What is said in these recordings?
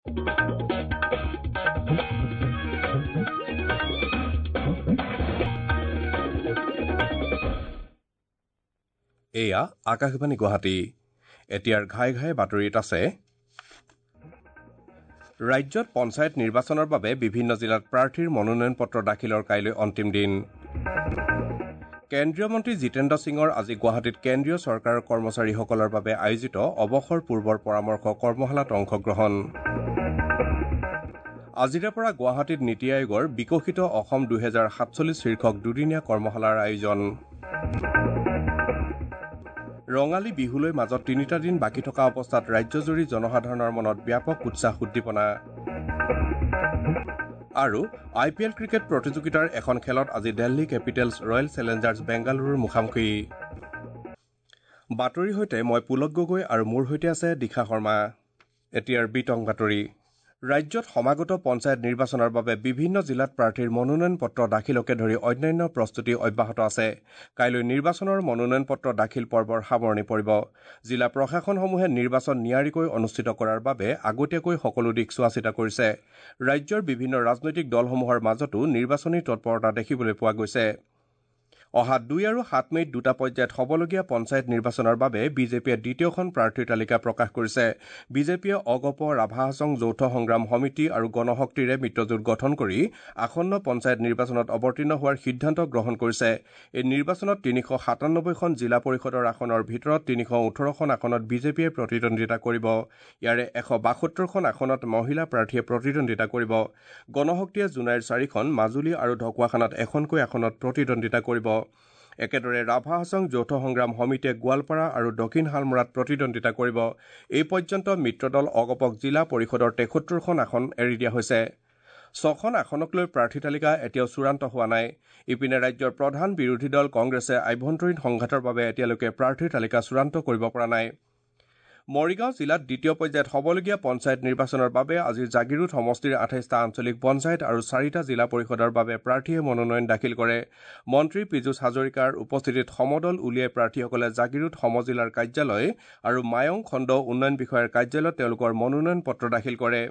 এয়া আকাশবাণী গুৱাহাটী। এতিয়াৰ ঘাই ঘাই বাতৰিত আছে। ৰাজ্যত পঞ্চায়ত নিৰ্বাচনৰ বাবে বিভিন্ন জিলাত প্ৰাৰ্থীৰ মনোনয়ন পত্ৰ দাখিলৰ কাইলৈ অন্তিম দিন। কেন্দ্ৰীয় মন্ত্ৰী জিতেন্দ্ৰ সিঙৰ আজি গুৱাহাটীত কেন্দ্ৰীয় চৰকাৰৰ কৰ্মচাৰীসকলৰ বাবে আয়োজিত অৱসৰ পূৰ্বৰ পৰামৰ্শ কৰ্মশালাত অংশগ্ৰহণ। আজিৰে পৰা গুৱাহাটীত নীতি আয়োগৰ বিকশিত অসম 2047 শীৰ্ষক দুদিনীয়া কৰ্মশালাৰ আয়োজন। ৰঙালী বিহুলৈ মাজত তিনিটা দিন বাকী থকা অৱস্থাত ৰাজ্যজুৰি জনসাধাৰণৰ মনত ব্যাপক উৎসাহ উদ্দীপনা। আৰু আই পি এল ক্ৰিকেট প্ৰতিযোগিতাৰ এখন খেলত আজি দিল্লী কেপিটেলছ ৰয়েল চেলেঞ্জাৰ্ছ বেংগালুৰুৰ মুখামুখি। বাতৰিৰ সৈতে মই পুলক গগৈ আৰু মোৰ সৈতে আছে দীক্ষা শৰ্মা। এতিয়াৰ বিতং বাতৰি। ৰাজ্যত সমাগত পঞ্চায়ত নিৰ্বাচনৰ বাবে বিভিন্ন জিলাত প্ৰাৰ্থীৰ মনোনয়ন পত্ৰ দাখিলকে ধৰি অন্যান্য প্ৰস্তুতি অব্যাহত আছে। কাইলৈ নিৰ্বাচনৰ মনোনয়ন পত্ৰ দাখিল পৰ্বৰ সামৰণি পৰিব। জিলা প্ৰশাসনসমূহে নিৰ্বাচন নিয়াৰিকৈ অনুষ্ঠিত কৰাৰ বাবে আগতীয়াকৈ সকলো দিশ চোৱাচিতা কৰিছে। ৰাজ্যৰ বিভিন্ন ৰাজনৈতিক দলসমূহৰ মাজতো নিৰ্বাচনী তৎপৰতা দেখিবলৈ পোৱা গৈছে। অহা 2 আৰু 7 মে'ত দুটা পৰ্যায়ত হ'বলগীয়া পঞ্চায়ত নিৰ্বাচনৰ বাবে বিজেপিয়ে দ্বিতীয়খন প্ৰাৰ্থীৰ তালিকা প্ৰকাশ কৰিছে। বিজেপিয়ে অগপ, ৰাভা হাছং যৌথ সংগ্ৰাম সমিতি আৰু গণশক্তিৰে মিত্ৰজোঁট গঠন কৰি আসন্ন পঞ্চায়ত নিৰ্বাচনত অৱতীৰ্ণ হোৱাৰ সিদ্ধান্ত গ্ৰহণ কৰিছে। এই নিৰ্বাচনত 397খন জিলা পৰিষদৰ আসনৰ ভিতৰত 318খন আসনত বিজেপিয়ে প্ৰতিদ্বন্দ্বিতা কৰিব। ইয়াৰে 172খন আসনত মহিলা প্ৰাৰ্থীয়ে প্ৰতিদ্বন্দ্বিতা কৰিব। গণশক্তিয়ে জোনাইৰ 4খন, মাজুলী আৰু ঢকুৱাখানাত এখনকৈ আসনত প্ৰতিদ্বন্দ্বিতা কৰিব। একেদৰে ৰাভা হাছং যৌথ সংগ্ৰাম সমিতিয়ে গোৱালপাৰা আৰু দক্ষিণ শালমৰাত প্ৰতিদ্বন্দ্বিতা কৰিব। এই পৰ্যন্ত মিত্ৰদল অগপক জিলা পৰিষদৰ 73খন আসন এৰি দিয়া হৈছে। 6খন আসনক লৈ প্ৰাৰ্থী তালিকা এতিয়াও চূড়ান্ত হোৱা নাই। ইপিনে ৰাজ্যৰ প্ৰধান বিৰোধী দল কংগ্ৰেছে আভ্যন্তৰীণ সংঘাতৰ বাবে এতিয়ালৈকে প্ৰাৰ্থীৰ তালিকা চূড়ান্ত কৰিব পৰা নাই। মৰিগাঁও জিলাত দ্বিতীয় পৰ্যায়ত হ'বলগীয়া পঞ্চায়ত নিৰ্বাচনৰ বাবে আজি জাগিৰোড সমষ্টিৰ 28টা আঞ্চলিক পঞ্চায়ত আৰু 4টা জিলা পৰিষদৰ বাবে প্ৰাৰ্থীয়ে মনোনয়ন দাখিল কৰে। মন্ত্ৰী পীযুষ হাজৰিকাৰ উপস্থিতিত সমদল উলিয়াই প্ৰাৰ্থীসকলে জাগিৰোড সমজিলাৰ কাৰ্যালয় আৰু মায়ং খণ্ড উন্নয়ন বিষয়াৰ কাৰ্যালয়ত তেওঁলোকৰ মনোনয়ন পত্ৰ দাখিল কৰে।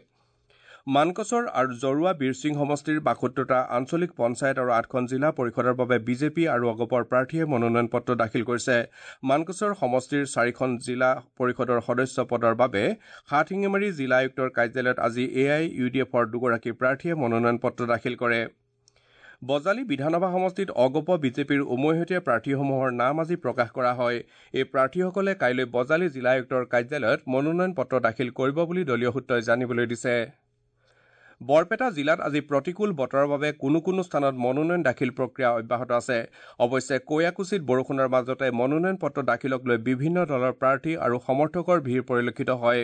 মানকচৰ আৰু জৰুৱা বীৰসিং সমষ্টিৰ 72টা আঞ্চলিক পঞ্চায়ত আৰু 8খন জিলা পৰিষদৰ বাবে বিজেপি আৰু অগপৰ প্ৰাৰ্থীয়ে মনোনয়ন পত্ৰ দাখিল কৰিছে। মানকচৰ সমষ্টিৰ 4খন জিলা পৰিষদৰ সদস্য পদৰ বাবে হাটশিঙিমাৰী জিলা আয়ুক্তৰ কাৰ্যালয়ত আজি এ I U D এফৰ 2গৰাকী প্ৰাৰ্থীয়ে মনোনয়ন পত্ৰ দাখিল কৰে। বজালী বিধানসভা সমষ্টিত অগপ বিজেপিৰ উমৈহতীয়া প্ৰাৰ্থীসমূহৰ নাম আজি প্ৰকাশ কৰা হয়। এই প্ৰাৰ্থীসকলে কাইলৈ বজালী জিলা আয়ুক্তৰ কাৰ্যালয়ত মনোনয়ন পত্ৰ দাখিল কৰিব বুলি দলীয় সূত্ৰই জানিবলৈ দিছে। বৰপেটা জিলাত আজি প্ৰতিকূল বতৰৰ বাবে কোনো কোনো স্থানত মনোনয়ন দাখিল প্ৰক্ৰিয়া অব্যাহত আছে। অৱশ্যে কৈয়াকুছিত বৰষুণৰ মাজতে মনোনয়ন পত্ৰ দাখিলক লৈ বিভিন্ন দলৰ প্ৰাৰ্থী আৰু সমৰ্থকৰ ভিৰ পৰিলক্ষিত হয়।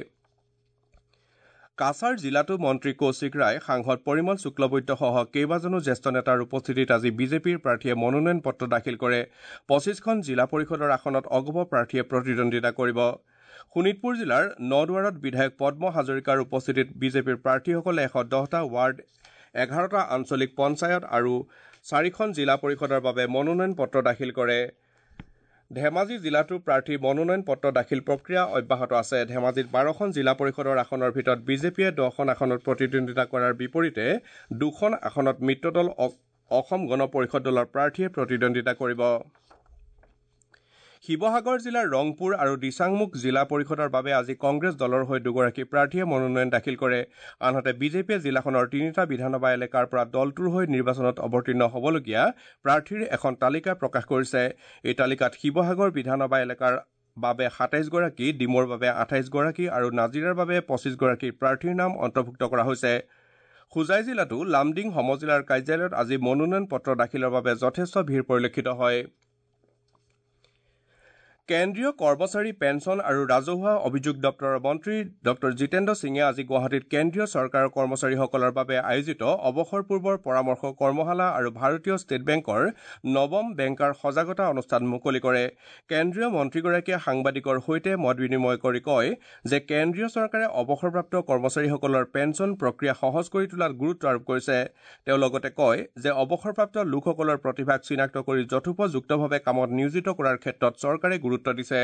কাছাৰ জিলাতো মন্ত্ৰী কৌশিক ৰায়, সাংসদ পৰিমল শুক্লবৈদ্যসহ কেইবাজনো জ্যেষ্ঠ নেতাৰ উপস্থিতিত আজি বিজেপিৰ প্ৰাৰ্থীয়ে মনোনয়ন পত্ৰ দাখিল কৰে। 25খন জিলা পৰিষদৰ আসনত অগপ প্ৰাৰ্থীয়ে প্ৰতিদ্বন্দ্বিতা কৰিব। শোণিতপুৰ জিলাৰ নদুৱাৰত বিধায়ক পদ্ম হাজৰিকাৰ উপস্থিতিত বিজেপিৰ প্ৰাৰ্থীসকলে 110টা ৱাৰ্ড, 11টা আঞ্চলিক পঞ্চায়ত আৰু 4খন জিলা পৰিষদৰ বাবে মনোনয়ন পত্ৰ দাখিল কৰে। ধেমাজি জিলাতো প্ৰাৰ্থীৰ মনোনয়ন পত্ৰ দাখিল প্ৰক্ৰিয়া অব্যাহত আছে। ধেমাজিত 12খন জিলা পৰিষদৰ আসনৰ ভিতৰত বিজেপিয়ে 10খন আসনত প্ৰতিদ্বন্দ্বিতা কৰাৰ বিপৰীতে 2খন আসনত মিত্ৰদল অসম গণ পৰিষদ দলৰ প্ৰাৰ্থীয়ে প্ৰতিদ্বন্দ্বিতা কৰিব। শিৱসাগৰ জিলাৰ ৰংপুৰ আৰু দিচাংমুখ জিলা পৰিষদৰ বাবে আজি কংগ্ৰেছ দলৰ হৈ 2গৰাকী প্ৰাৰ্থীয়ে মনোনয়ন দাখিল কৰে। আনহাতে বিজেপিয়ে জিলাখনৰ 3টা বিধানসভা এলেকাৰ পৰা দলটোৰ হৈ নিৰ্বাচনত অৱতীৰ্ণ হ'বলগীয়া প্ৰাৰ্থীৰ এখন তালিকা প্ৰকাশ কৰিছে। এই তালিকাত শিৱসাগৰ বিধানসভা এলেকাৰ বাবে 27গৰাকী, ডিমৌৰ বাবে 28গৰাকী আৰু নাজিৰাৰ বাবে 25গৰাকী প্ৰাৰ্থীৰ নাম অন্তৰ্ভুক্ত কৰা হৈছে। হোজাই জিলাতো লামডিং সমজিলাৰ কাৰ্যালয়ত আজি মনোনয়ন পত্ৰ দাখিলৰ বাবে যথেষ্ট ভিৰ পৰিলক্ষিত হয়। কেন্দ্ৰীয় কৰ্মচাৰী পেঞ্চন আৰু ৰাজহুৱা অভিযোগ দপ্তৰৰ মন্ত্ৰী ডঃ জিতেন্দ্ৰ সিঙে আজি গুৱাহাটীত কেন্দ্ৰীয় চৰকাৰৰ কৰ্মচাৰীসকলৰ বাবে আয়োজিত অৱসৰ পূৰ্বৰ পৰামৰ্শ কৰ্মশালা আৰু ভাৰতীয় ষ্টেট বেংকৰ নৱম বেংকাৰ সজাগতা অনুষ্ঠান মুকলি কৰে। কেন্দ্ৰীয় মন্ত্ৰীগৰাকীয়ে সাংবাদিকৰ সৈতে মত বিনিময় কৰি কয় যে কেন্দ্ৰীয় চৰকাৰে অৱসৰপ্ৰাপ্ত কৰ্মচাৰীসকলৰ পেঞ্চন প্ৰক্ৰিয়া সহজ কৰি তোলাত গুৰুত্ব আৰোপ কৰিছে। তেওঁ লগতে কয় যে অৱসৰপ্ৰাপ্ত লোকসকলৰ প্ৰতিভাক চিনাক্ত কৰি যথোপযুক্তভাৱে কামত নিয়োজিত কৰাৰ ক্ষেত্ৰত চৰকাৰে গুৰুত্ব দিছে।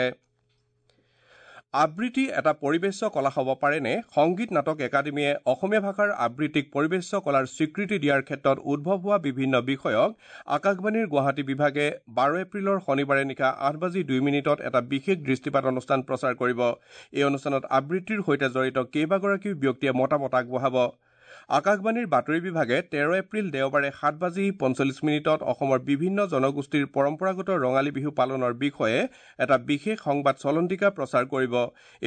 আবৃত্তি এটা পৰিৱেশ্য কলা হ'ব পাৰেনে? সংগীত নাটক একাডেমীয়ে অসমীয়া ভাষাৰ আবৃত্তিক পৰিৱেশ্য কলাৰ স্বীকৃতি দিয়াৰ ক্ষেত্ৰত উদ্ভৱ হোৱা বিভিন্ন বিষয়ক আকাশবাণীৰ গুৱাহাটী বিভাগে 12 এপ্ৰিলৰ শনিবাৰে নিশা 8:02 এটা বিশেষ দৃষ্টিপাত অনুষ্ঠান প্ৰচাৰ কৰিব। এই অনুষ্ঠানত আবৃত্তিৰ সৈতে জড়িত কেইবাগৰাকীও ব্যক্তিয়ে মতামত আগবঢ়াব। আকাশবাণীৰ বাতৰি বিভাগে 13 এপ্ৰিল দেওবাৰে 7:45 অসমৰ বিভিন্ন জনগোষ্ঠীৰ পৰম্পৰাগত ৰঙালী বিহু পালনৰ বিষয়ে এটা বিশেষ সংবাদ চলন্তিকা প্ৰচাৰ কৰিব।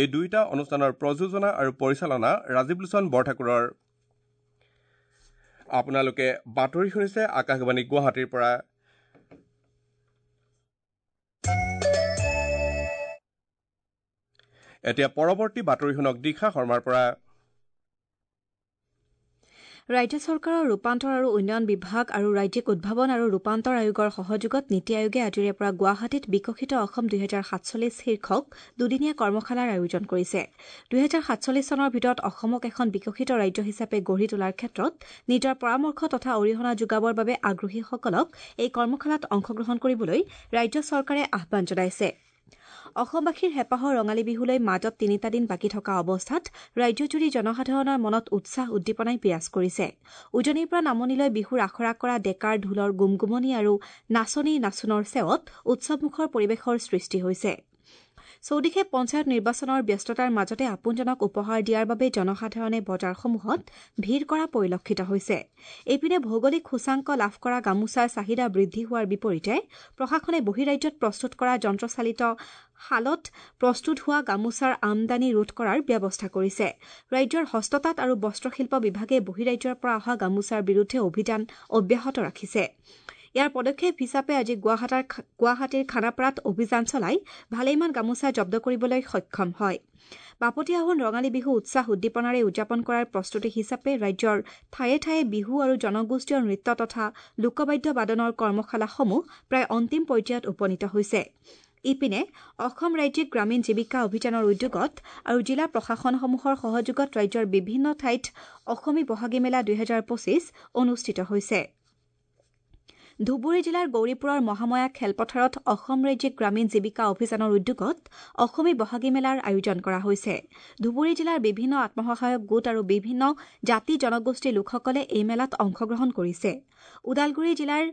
এই দুয়োটা অনুষ্ঠানৰ প্ৰযোজনা আৰু পৰিচালনা ৰাজীৱ লোচন বৰঠাকুৰৰ। আপোনালোকে বাতৰি শুনিছে আকাশবাণী গুৱাহাটীৰ পৰা। এতিয়া পৰৱৰ্তী বাতৰি শুনক দীক্ষা শৰ্মাৰ পৰা। ৰাজ্য চৰকাৰৰ ৰূপান্তৰ আৰু উন্নয়ন বিভাগ আৰু ৰাজ্যিক উদ্ভাৱন আৰু ৰূপান্তৰ আয়োগৰ সহযোগত নীতি আয়োগে আজিৰে পৰা গুৱাহাটীত বিকশিত অসম 2047 শীৰ্ষক দুদিনীয়া কৰ্মশালাৰ আয়োজন কৰিছে। 2047 চনৰ ভিতৰত অসমক এখন বিকশিত ৰাজ্য হিচাপে গঢ়ি তোলাৰ ক্ষেত্ৰত নিজৰ পৰামৰ্শ তথা অৰিহণা যোগাবৰ বাবে আগ্ৰহীসকলক এই কৰ্মশালাত অংশগ্ৰহণ কৰিবলৈ ৰাজ্য চৰকাৰে আহ্বান জনাইছে। অসমবাসীৰ হেঁপাহৰ ৰঙালী বিহুলৈ মাজত তিনিটা দিন বাকী থকা অৱস্থাত ৰাজ্যজুৰি জনসাধাৰণৰ মনত উৎসাহ উদ্দীপনাই বিৰাজ কৰিছে। উজনিৰ পৰা নামনিলৈ বিহুৰ আখৰা কৰা ডেকাৰ ঢোলৰ গুমগুমনি আৰু নাচনী নাচোনৰ চেৱত উৎসৱমুখৰ পৰিৱেশৰ সৃষ্টি হৈছে। চৌদিশে পঞ্চায়ত নিৰ্বাচনৰ ব্যস্ততাৰ মাজতে আপোনজনক উপহাৰ দিয়াৰ বাবে জনসাধাৰণে বজাৰসমূহত ভিৰ কৰা পৰিলক্ষিত হৈছে। এইপিনে ভৌগোলিক সূচাংক লাভ কৰা গামোচাৰ চাহিদা বৃদ্ধি হোৱাৰ বিপৰীতে প্ৰশাসনে বহিৰাজ্যত প্ৰস্তুত কৰা যন্ত্ৰচালিত শালত প্ৰস্তুত হোৱা গামোচাৰ আমদানি ৰোধ কৰাৰ ব্যৱস্থা কৰিছে। ৰাজ্যৰ হস্ততাঁত আৰু বস্ত্ৰশিল্প বিভাগে বহিৰাজ্যৰ পৰা অহা গামোচাৰ বিৰুদ্ধে অভিযান অব্যাহত ৰাখিছে। ইয়াৰ পদক্ষেপ হিচাপে আজি গুৱাহাটীৰ খানাপাৰাত অভিযান চলাই ভালেমান গামোচা জব্দ কৰিবলৈ সক্ষম হয়। বাপতি আহোন ৰঙালী বিহু উৎসাহ উদ্দীপনাৰে উদযাপন কৰাৰ প্ৰস্তুতি হিচাপে ৰাজ্যৰ ঠায়ে ঠায়ে বিহু আৰু জনগোষ্ঠীয় নৃত্য তথা লোকবাদ্য বাদনৰ কৰ্মশালাসমূহ প্ৰায় অন্তিম পৰ্যায়ত উপনীত হৈছে। ইপিনে অসম ৰাজ্যিক গ্ৰামীণ জীৱিকা অভিযানৰ উদ্যোগত আৰু জিলা প্ৰশাসনসমূহৰ সহযোগত ৰাজ্যৰ বিভিন্ন ঠাইত অসমী বহাগী মেলা 2025 অনুষ্ঠিত হৈছে। ধুবুৰী জিলাৰ গৌৰীপুৰৰ মহাময়া খেলপথাৰত অসম ৰাজ্যিক গ্ৰামীণ জীৱিকা অভিযানৰ উদ্যোগত অসমী বহাগী মেলাৰ আয়োজন কৰা হৈছে। ধুবুৰী জিলাৰ বিভিন্ন আত্মসহায়ক গোট আৰু বিভিন্ন জাতি জনগোষ্ঠীৰ লোকসকলে এই মেলাত অংশগ্ৰহণ কৰিছে। ওদালগুৰি জিলাৰ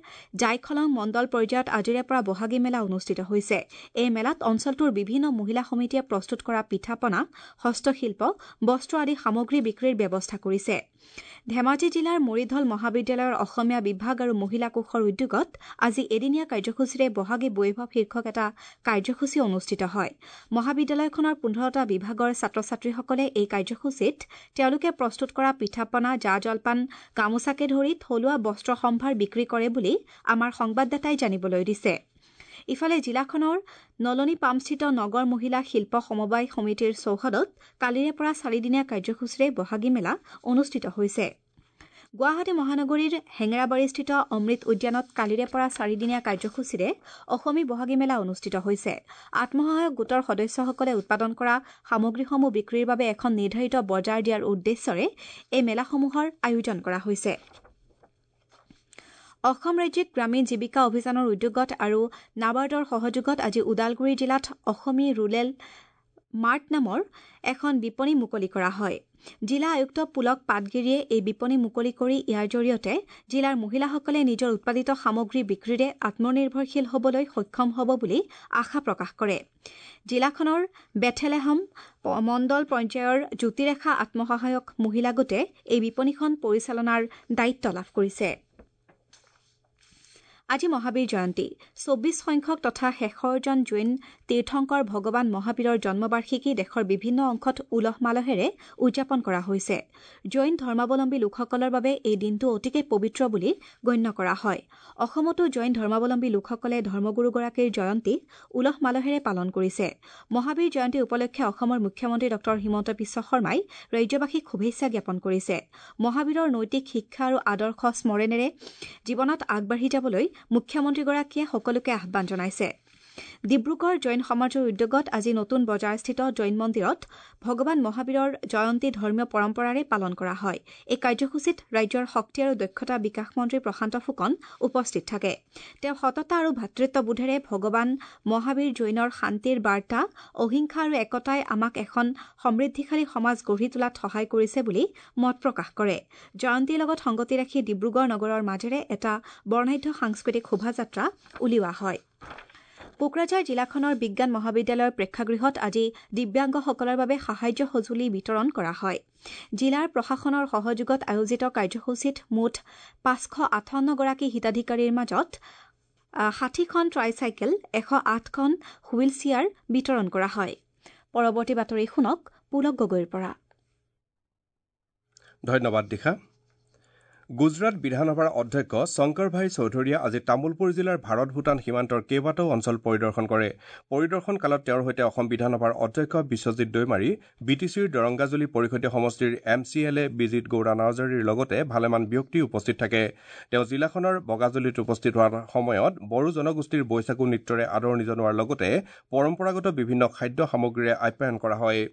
জাইখলং মণ্ডল পৰ্যায়ত আজিৰে পৰা বহাগী মেলা অনুষ্ঠিত হৈছে। এই মেলাত অঞ্চলটোৰ বিভিন্ন মহিলা সমিতিয়ে প্ৰস্তুত কৰা পিঠা পনা, হস্তশিল্প, বস্ত্ৰ আদি সামগ্ৰী বিক্ৰীৰ ব্যৱস্থা কৰিছে। ধেমাজি জিলাৰ মৰিধল মহাবিদ্যালয়ৰ অসমীয়া বিভাগ আৰু মহিলা কোষৰ উদ্যোগত আজি এদিনীয়া কাৰ্যসূচীৰে বহাগী বৈভৱ শীৰ্ষক এটা কাৰ্যসূচী অনুষ্ঠিত হয়। মহাবিদ্যালয়খনৰ 15টা বিভাগৰ ছাত্ৰ ছাত্ৰীসকলে এই কাৰ্যসূচীত তেওঁলোকে প্ৰস্তুত কৰা পিঠা পনা, জা জলপান, গামোচাকে ধৰি থলুৱা বস্ত্ৰ সম্ভাৰ বিক্ৰী কৰে বুলি আমাৰ সংবাদদাতাই জানিবলৈ দিছে। ইফালে জিলাখনৰ নলনী পামস্থিত নগৰ মহিলা শিল্প সমবায় সমিতিৰ চৌহদত কালিৰে পৰা চাৰিদিনীয়া কাৰ্যসূচীৰে বহাগী মেলা অনুষ্ঠিত হৈছে। গুৱাহাটী মহানগৰীৰ হেঙেৰাবাৰীস্থিত অমৃত উদ্যানত কালিৰে পৰা চাৰিদিনীয়া কাৰ্যসূচীৰে অসমী বহাগী মেলা অনুষ্ঠিত হৈছে। আত্মসহায়ক গোটৰ সদস্যসকলে উৎপাদন কৰা সামগ্ৰীসমূহ বিক্ৰীৰ বাবে এখন নিৰ্ধাৰিত বজাৰ দিয়াৰ উদ্দেশ্যৰে এই মেলাসমূহৰ আয়োজন কৰা হৈছে। অসম ৰাজ্যিক গ্ৰামীণ জীৱিকা অভিযানৰ উদ্যোগত আৰু নাবাৰ্ডৰ সহযোগত আজি ওদালগুৰি জিলাত অসমী ৰুৰেল মাৰ্ট নামৰ এখন বিপণী মুকলি কৰা হয়। জিলা আয়ুক্ত পুলক পাটগিৰিয়ে এই বিপণী মুকলি কৰি ইয়াৰ জৰিয়তে জিলাৰ মহিলাসকলে নিজৰ উৎপাদিত সামগ্ৰী বিক্ৰীৰে আত্মনিৰ্ভৰশীল হ'বলৈ সক্ষম হ'ব বুলি আশা প্ৰকাশ কৰে। জিলাখনৰ বেথেলেহম মণ্ডল পঞ্চায়ৰ জ্যোতিৰেখা আত্মসহায়ক মহিলা গোটে এই বিপণীখন পৰিচালনাৰ দায়িত্ব লাভ কৰিছে। আজি মহাবীৰ জয়ন্তী। 24 সংখ্যক তথা শেষৰজন জৈন তীৰ্থংকৰ ভগৱান মহাবীৰৰ জন্মবাৰ্ষিকী দেশৰ বিভিন্ন অংশত উলহ মালহেৰে উদযাপন কৰা হৈছে। জৈন ধৰ্মাৱলম্বী লোকসকলৰ বাবে এই দিনটো অতিকে পবিত্ৰ বুলি গণ্য কৰা হয়। অসমতো জৈন ধৰ্মাৱলম্বী লোকসকলে ধৰ্মগুৰুগৰাকীৰ জয়ন্তী উলহ মালহেৰে পালন কৰিছে। মহাবীৰ জয়ন্তী উপলক্ষে অসমৰ মুখ্যমন্ত্ৰী ডঃ হিমন্ত বিশ্ব শৰ্মাই ৰাজ্যবাসীক শুভেচ্ছা জ্ঞাপন কৰিছে। মহাবীৰৰ নৈতিক শিক্ষা আৰু আদৰ্শ স্মৰণেৰে জীৱনত আগবাঢ়ি যাবলৈ মুখ্যমন্ত্ৰীগৰাকীয়ে সকলোকে আহ্বান জনাইছে। ডিব্ৰুগড় জৈন সমাজৰ উদ্যোগত আজি নতুন বজাৰস্থিত জৈন মন্দিৰত ভগৱান মহাবীৰৰ জয়ন্তী ধৰ্মীয় পৰম্পৰাৰে পালন কৰা হয়। এই কাৰ্যসূচীত ৰাজ্যৰ শক্তি আৰু দক্ষতা বিকাশ মন্ত্ৰী প্ৰশান্ত ফুকন উপস্থিত থাকে। তেওঁ সততা আৰু ভাতৃত্ববোধেৰে ভগৱান মহাবীৰ জৈনৰ শান্তিৰ বাৰ্তা, অহিংসা আৰু একতাই আমাক এখন সমৃদ্ধিশালী সমাজ গঢ়ি তোলাত সহায় কৰিছে বুলি মত প্ৰকাশ কৰে। জয়ন্তীৰ লগত সংগতি ৰাখি ডিব্ৰুগড় নগৰৰ মাজেৰে এটা বৰ্ণাঢ্য সাংস্কৃতিক শোভাযাত্ৰা উলিওৱা হয়। কোকৰাঝাৰ জিলাখনৰ বিজ্ঞান মহাবিদ্যালয়ৰ প্ৰেক্ষাগৃহত আজি দিব্যাংগসকলৰ বাবে সাহায্য সঁজুলি বিতৰণ কৰা হয়। জিলাৰ প্ৰশাসনৰ সহযোগত আয়োজিত কাৰ্যসূচীত মুঠ 558 গৰাকী হিতাধিকাৰীৰ মাজত 60খন ট্ৰাইচাইকেল, 108খন হুইল চেয়াৰ বিতৰণ কৰা হয়। পৰৱৰ্তী বাতৰি শুনক পুলক গগৈৰ পৰা। ধন্যবাদ দিশা। গুজৰাট বিধানসভাৰ অধ্যক্ষ শংকৰ ভাই চৌধুৰীয়ে আজি তামুলপুৰ জিলাৰ ভাৰত ভূটান সীমান্তৰ কেইবাটাও অঞ্চল পৰিদৰ্শন কৰে। পৰিদৰ্শন কালত তেওঁৰ সৈতে অসম বিধানসভাৰ অধ্যক্ষ বিশ্বজিৎ দৈমাৰী, বি টি চিৰ দৰংগাজুলি পৰিষদীয় সমষ্টিৰ M C L A Bijit Gowda নাৰ্জাৰীৰ লগতে ভালেমান ব্যক্তি উপস্থিত থাকে। তেওঁ জিলাখনৰ বগাজুলিত উপস্থিত হোৱাৰ সময়ত বড়ো জনগোষ্ঠীৰ বৈশাগু নৃত্যৰে আদৰণি জনোৱাৰ লগতে পৰম্পৰাগত বিভিন্ন খাদ্য সামগ্ৰীৰে আপ্যায়ন কৰা হয়।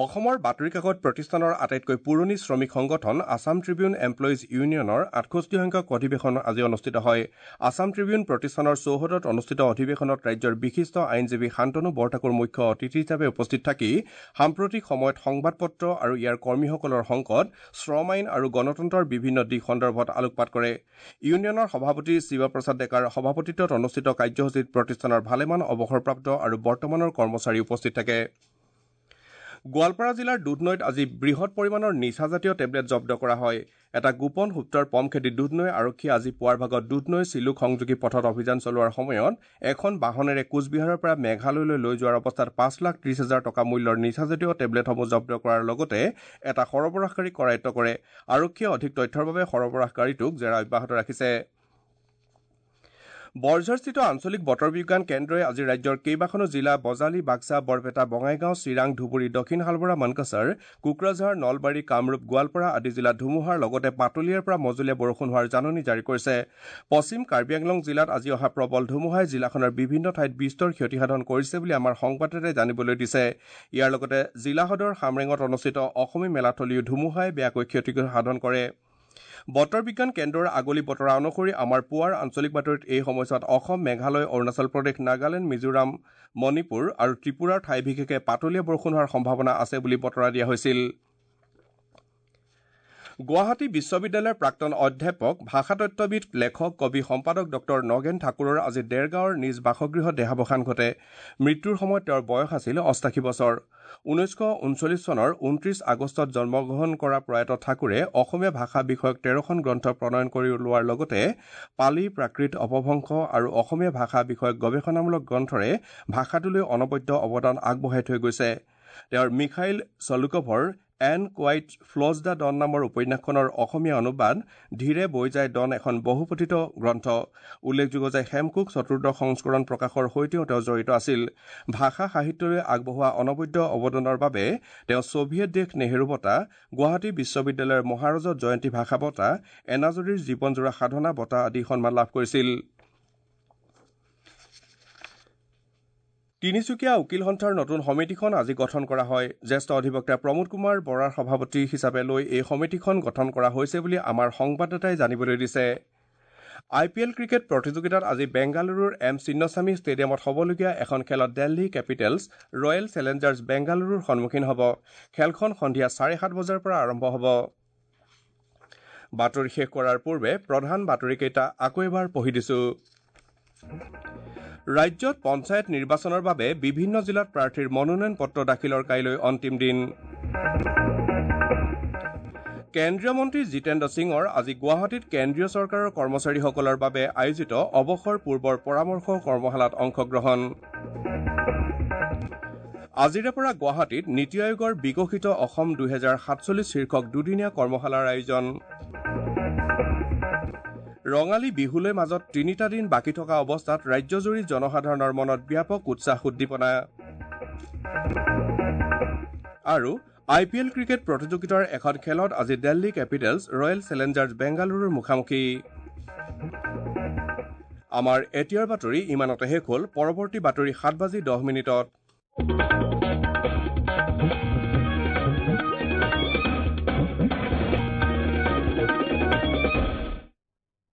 অসমৰ বাতৰি কাকত প্ৰতিষ্ঠানৰ আটাইতকৈ পুৰণি শ্ৰমিক সংগঠন আছাম ট্ৰিবিউন এমপ্লয়িজ ইউনিয়নৰ 68 সংখ্যক অধিৱেশন আজি অনুষ্ঠিত হয়। আছাম ট্ৰিবিউন প্ৰতিষ্ঠানৰ চৌহদত অনুষ্ঠিত অধিৱেশনত ৰাজ্যৰ বিশিষ্ট আইনজীৱী শান্তনু বৰঠাকুৰ মুখ্য অতিথি হিচাপে উপস্থিত থাকি সাম্প্ৰতিক সময়ত সংবাদ পত্ৰ আৰু ইয়াৰ কৰ্মীসকলৰ সংকট, শ্ৰম আইন আৰু গণতন্ত্ৰৰ বিভিন্ন দিশ সন্দৰ্ভত আলোকপাত কৰে। ইউনিয়নৰ সভাপতি শিৱপ্ৰসাদ ডেকাৰ সভাপতিত্বত অনুষ্ঠিত কাৰ্যসূচীত প্ৰতিষ্ঠানৰ ভালেমান অৱসৰপ্ৰাপ্ত আৰু বৰ্তমানৰ কৰ্মচাৰী উপস্থিত থাকে। গোৱালপাৰা জিলাৰ দুধনৈত আজি বৃহৎ পৰিমাণৰ নিচাজাতীয় টেবলেট জব্দ কৰা হয়। এটা গোপন সূত্ৰৰ পম খেদি দুধনৈ আৰক্ষীয়ে আজি পুৱাৰ ভাগত দুধনৈ চিলুক সংযোগী পথত অভিযান চলোৱাৰ সময়ত এখন বাহনেৰে কোচবিহাৰৰ পৰা মেঘালয়লৈ লৈ যোৱাৰ অৱস্থাত 5,30,000 টকা মূল্যৰ নিচাজাতীয় টেবলেটসমূহ জব্দ কৰাৰ লগতে এটা সৰবৰাহকাৰীক কৰায়ত্ব কৰে। আৰক্ষীয়ে অধিক তথ্যৰ বাবে সৰবৰাহকাৰীটোক জেৰা অব্যাহত ৰাখিছে। বৰঝাৰস্থিত আঞ্চলিক বতৰ বিজ্ঞান কেন্দ্ৰই আজি ৰাজ্যৰ কেইবাখনো জিলা বজালী, বাক্সা, বৰপেটা, বঙাইগাঁও, চিৰাং, ধুবুৰী, দক্ষিণ শালবৰা, মানকাছাৰ, কোকৰাঝাৰ, নলবাৰী, কামৰূপ, গোৱালপাৰা আদি জিলাত ধুমুহাৰ লগতে পাতলীয়াৰ পৰা মজলীয়া বৰষুণ হোৱাৰ জাননী জাৰি কৰিছে। পশ্চিম কাৰ্বি আংলং জিলাত আজি অহা প্ৰবল ধুমুহাই জিলাখনৰ বিভিন্ন ঠাইত বিস্তৰ ক্ষতিসাধন কৰিছে বুলি আমাৰ সংবাদদাতাই জানিবলৈ দিছে। ইয়াৰ লগতে জিলা সদৰ হামৰেঙত অনুষ্ঠিত অসমী মেলাথলীও ধুমুহাই বেয়াকৈ ক্ষতিসাধন কৰে। বতৰ বিজ্ঞান কেন্দ্ৰৰ আগলি বতৰা অনুসৰি আমাৰ পুৱাৰ আঞ্চলিক বাতৰিত এই সময়ছোৱাত অসম, মেঘালয়, অৰুণাচল প্ৰদেশ, নাগালেণ্ড, মিজোৰাম, মণিপুৰ আৰু ত্ৰিপুৰাৰ ঠাই বিশেষে পাতলীয়া বৰষুণ হোৱাৰ সম্ভাৱনা আছে বুলি বতৰা দিয়া হৈছিল। গুৱাহাটী বিশ্ববিদ্যালয়ৰ প্ৰাক্তন অধ্যাপক, ভাষাতত্ত্ববিদ, লেখক, কবি, সম্পাদক ডঃ নগেন ঠাকুৰৰ আজি দেৰগাঁৱৰ নিজ বাসগৃহত দেহাৱসান ঘটে। মৃত্যুৰ সময়ত তেওঁৰ বয়স আছিল 88 বছৰ। 1939 চনৰ 29 আগষ্টত জন্মগ্ৰহণ কৰা প্ৰয়াত ঠাকুৰে অসমীয়া ভাষা বিষয়ক 13খন গ্ৰন্থ প্ৰণয়ন কৰি ওলোৱাৰ লগতে পালি, প্ৰাকৃত, অপভ্ৰংশ আৰু অসমীয়া ভাষা বিষয়ক গৱেষণামূলক গ্ৰন্থৰে ভাষাটোলৈ অনবদ্য অৱদান আগবঢ়াই থৈ গৈছে। তেওঁৰ Mikhail চলুকভৰ and quiet flows the Don নামৰ উপন্যাসখনৰ অসমীয়া অনুবাদ ধীৰে বৈ যায় ডন এখন বহুপঠিত গ্ৰন্থ। উল্লেখযোগ্য যে হেমকোষ চতুৰ্দশ সংস্কৰণ প্ৰকাশৰ সৈতেও তেওঁ জড়িত আছিল। ভাষা সাহিত্যলৈ আগবঢ়োৱা অনবদ্য অৱদানৰ বাবে তেওঁ ছোভিয়েট দেশ নেহেৰু বঁটা, গুৱাহাটী বিশ্ববিদ্যালয়ৰ মহাৰজত জয়ন্তী ভাষা বঁটা, এনাজৰীৰ জীৱনজোৰা সাধনা বঁটা আদি সন্মান লাভ কৰিছিল। তিনিচুকীয়া উকীল সন্থাৰ নতুন সমিতিখন আজি গঠন কৰা হয়। জ্যেষ্ঠ অধিবক্তা প্ৰমোদ কুমাৰ বৰাৰ সভাপতি হিচাপে লৈ এই সমিতিখন গঠন কৰা হৈছে বুলি আমাৰ সংবাদদাতাই জানিবলৈ দিছে। আই পি এল ক্ৰিকেট প্ৰতিযোগিতাত আজি বেংগালুৰুৰ এম চিন্নস্বামী ষ্টেডিয়ামত হ'বলগীয়া এখন খেলত দিল্লী কেপিটেলছ ৰয়েল চেলেঞ্জাৰ্ছ বেংগালুৰুৰ সন্মুখীন হ'ব। খেলখন সন্ধিয়া 7:30 বজাৰ পৰা আৰম্ভ হ'ব। বাতৰি শেষ কৰাৰ পূৰ্বে প্ৰধান বাতৰিকেইটা আকৌ এবাৰ পঢ়ি দিছো। ৰাজ্যত পঞ্চায়ত নিৰ্বাচনৰ বাবে বিভিন্ন জিলাত প্ৰাৰ্থীৰ মনোনয়ন পত্ৰ দাখিলৰ কাইলৈ অন্তিম দিন। কেন্দ্ৰীয় মন্ত্ৰী জিতেন্দ্ৰ সিঙৰ আজি গুৱাহাটীত কেন্দ্ৰীয় চৰকাৰৰ কৰ্মচাৰীসকলৰ বাবে আয়োজিত অৱসৰ পূৰ্বৰ পৰামৰ্শ কৰ্মশালাত অংশগ্ৰহণ। আজিৰে পৰা গুৱাহাটীত নীতি আয়োগৰ বিকশিত অসম 2047 শীৰ্ষক দুদিনীয়া কৰ্মশালাৰ আয়োজন। ৰঙালী বিহুলৈ মাজত 3টা দিন বাকী থকা অৱস্থাত ৰাজ্যজুৰি জনসাধাৰণৰ মনত ব্যাপক উৎসাহ উদ্দীপনা। আৰু আই পি এল ক্ৰিকেট প্ৰতিযোগিতাৰ এখন খেলত আজি দিল্লী কেপিটেলছ ৰয়েল চেলেঞ্জাৰ্ছ বেংগালুৰুৰ মুখামুখি। আমাৰ এতিয়াৰ বাতৰি ইমানতে শেষ হ'ল। পৰৱৰ্তী বাতৰি 7:10।